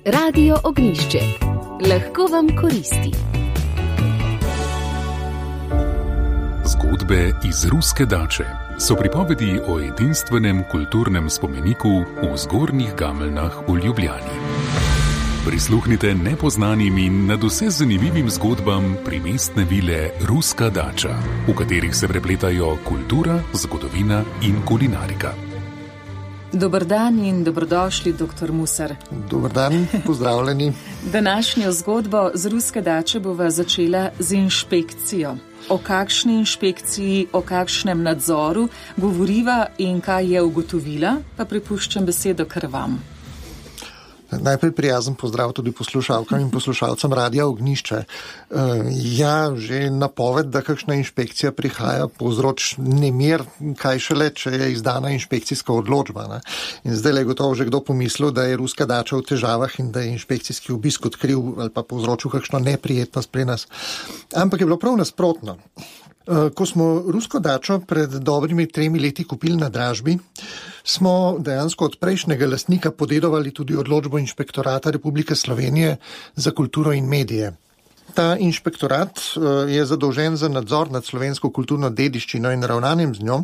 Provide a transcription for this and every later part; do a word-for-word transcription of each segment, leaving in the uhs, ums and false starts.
Radio Ognjišče. Lahko vam koristi. Zgodbe iz Ruske dače so pripovedi o edinstvenem kulturnem spomeniku v Zgornjih Gameljnah v Ljubljani. Prisluhnite nepoznanim in nadvse zanimivim zgodbam primestne vile Ruska dača, v katerih se prepletajo kultura, zgodovina in kulinarika. Dober dan in dobrodošli, doktor Musar. Dober dan, pozdravljeni. Današnjo zgodbo z Ruske dače bova začela z inšpekcijo. O kakšni inšpekciji, o kakšnem nadzoru govoriva in kaj je ugotovila, pa prepuščam besedo kar vam. Najprej prijazen pozdrav tudi poslušalkam in poslušalcem Radia Ognjišče. Ja, že napoved, da kakšna inšpekcija prihaja, povzroč nemir, kaj šele, če je izdana inšpekcijska odločba. Ne? In zdaj je gotovo že kdo pomislil, da je Ruska dača v težavah in da je inšpekcijski obisk odkril ali pa povzročil kakšno neprijetnost pri nas. Ampak je bilo prav nasprotno. Ko smo Rusko dačo pred dobrimi tremi leti kupili na dražbi, smo dejansko od prejšnjega lastnika podedovali tudi odločbo Inšpektorata Republike Slovenije za kulturo in medije. Ta inšpektorat je zadolžen za nadzor nad slovensko kulturno dediščino in ravnanjem z njo,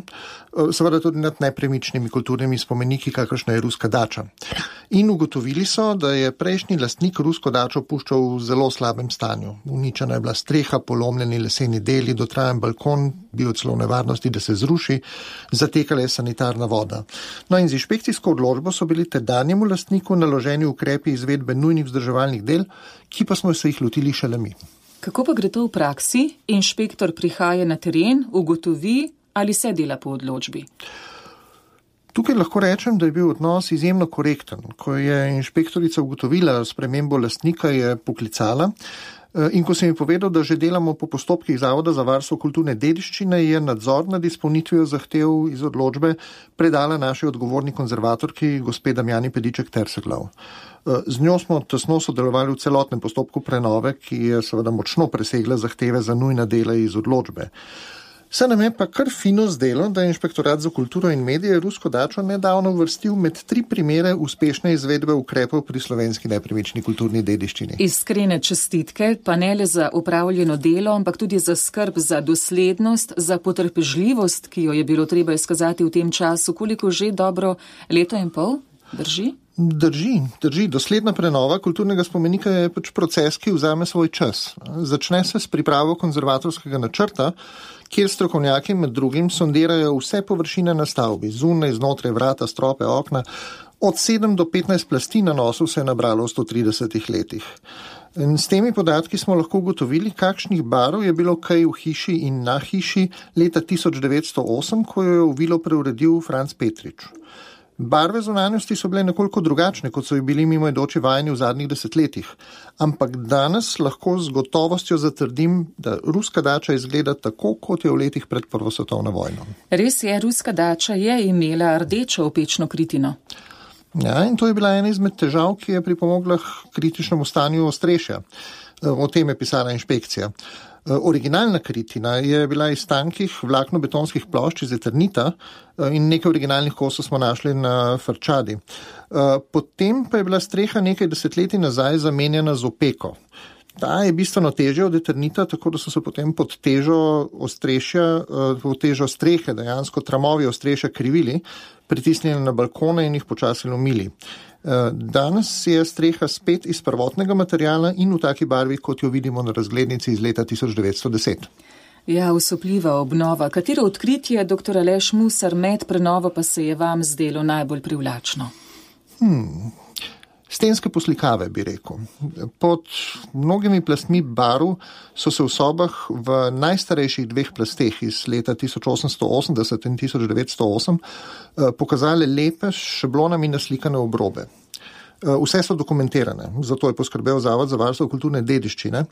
seveda tudi nad nepremičnimi kulturnimi spomeniki, kakršna je Ruska dača. In ugotovili so, da je prejšnji lastnik Rusko dačo puščal v zelo slabem stanju. Uničena je bila streha, polomljeni leseni deli, dotrajan balkon, bil celo v nevarnosti, da se zruši, zatekala je sanitarna voda. No in z inšpekcijsko odločbo so bili tedanjemu lastniku naloženi ukrepi izvedbe nujnih vzdrževalnih del, ki pa smo se jih lotili šele mi. Kako pa gre to v praksi? Inšpektor prihaja na teren, ugotovi ali se dela po odločbi? Tukaj lahko rečem, da je bil odnos izjemno korekten. Ko je inšpektorica ugotovila spremembo lastnika, je poklicala in ko sem ji povedal, da že delamo po postopkih Zavoda za varstvo kulturne dediščine, je nadzor nad izpolnitvijo zahtev iz odločbe predala naši odgovorni konzervatorki, gospe Damjani Pediček-Terseglov. Z njo smo tesno sodelovali v celotnem postopku prenove, ki je seveda močno presegla zahteve za nujna dela iz odločbe. Se nam je pa kar fino zdelo, da je Inšpektorat za kulturo in medije Rusko dačo nedavno uvrstil med tri primere uspešne izvedbe ukrepov pri slovenski nepremični kulturni dediščini. Iskrene čestitke, pa ne le za upravljeno delo, ampak tudi za skrb, za doslednost, za potrpežljivost, ki jo je bilo treba izkazati v tem času. Koliko že dobro leto in pol? Drži? Drži, drži. Dosledna prenova kulturnega spomenika je pač proces, ki vzame svoj čas. Začne se s pripravo konzervatorskega načrta, kjer strokovnjaki med drugim sondirajo vse površine na stavbi, zunaj, znotraj, vrata, strope, okna. Od sedem do petnajst plasti na nosu se je nabralo v sto tridesetih letih. In s temi podatki smo lahko ugotovili, kakšnih barov je bilo kaj v hiši in na hiši leta tisoč devetsto osem, ko jo je v vilo preuredil Franc Petrič. Barve zunanjosti so bile nekoliko drugačne, kot so bili mimoidoči vajeni v zadnjih desetletjih. Ampak danes lahko z gotovostjo zatrdim, da Ruska dača izgleda tako, kot je v letih pred Prvo svetovno vojno. Res je, Ruska dača je imela rdečo opečno kritino. Ja, in to je bila ena izmed težav, ki je pripomogla k kritičnemu stanju ostrešja. O tem je pisala inšpekcija. Originalna kritina je bila iz tankih vlakno-betonskih plošč iz eternita in nekaj originalnih kosov smo našli na Frčadi. Potem pa je bila streha nekaj desetletij nazaj zamenjana z opeko. Ta je bistveno težja od eternita, tako da so se potem pod težo ostrešja, pod težo strehe, dejansko tramovi ostrešja krivili, pritisnili na balkone in jih počasi lomili. Danes je streha spet iz prvotnega materiala in v taki barvi, kot jo vidimo na razglednici iz leta tisoč devetsto deset. Ja, usupljiva obnova. Katero odkritje, doktor Aleš Musar, med prenovo pa se je vam zdelo najbolj privlačno? Hmm... Stenske poslikave, bi rekel. Pod mnogimi plastmi barv so se v sobah v najstarejših dveh plasteh iz leta tisoč osemsto osemdeset in tisoč devetsto osem pokazale lepe s šablonami naslikane obrobe. Vse so dokumentirane, zato je poskrbel Zavod za varstvo kulturne dediščine.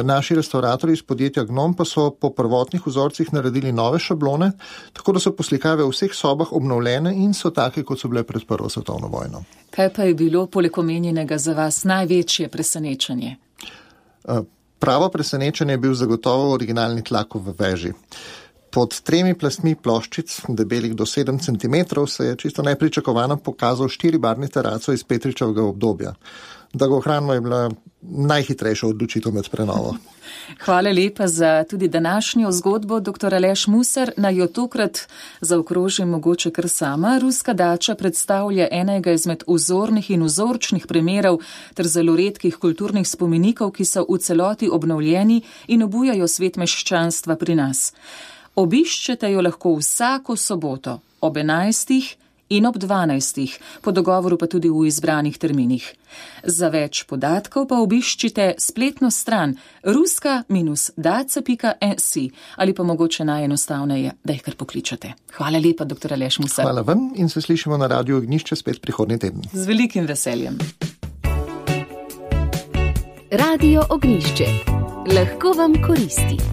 Naši restauratorji iz podjetja Gnom pa so po prvotnih vzorcih naredili nove šablone, tako da so poslikave v vseh sobah obnovljene in so take, kot so bile pred Prvo svetovno vojno. Kaj pa je bilo poleg omenjenega za vas največje presenečenje? Pravo presenečenje je bil zagotovo originalni tlak v veži. Pod tremi plastmi ploščic, debelih do sedem centimetrov, se je čisto nepričakovano pokazal štiribarvni teraco iz Petričevega obdobja. Da ga ohranimo je bila najhitrejša odločitev med prenovo. Hvala lepa za tudi današnjo zgodbo, doktor Aleš Musar. Naj jo tokrat zaokrožim mogoče kar sama. Ruska dača predstavlja enega izmed vzornih in vzorčnih primerov ter zelo redkih kulturnih spomenikov, ki so v celoti obnovljeni in obujajo svet meščanstva pri nas. Obiščete jo lahko vsako soboto ob enajstih in ob dvanajstih, po dogovoru pa tudi v izbranih terminih. Za več podatkov pa obiščite spletno stran ruska daca pika si ali pa mogoče najenostavneje, da jih kar pokličete. Hvala lepa, doktor Aleš Musar. Hvala vam in se slišimo na Radiu Ognjišče spet prihodnji teden. Z velikim veseljem. Radio Ognjišče. Lahko vam koristi.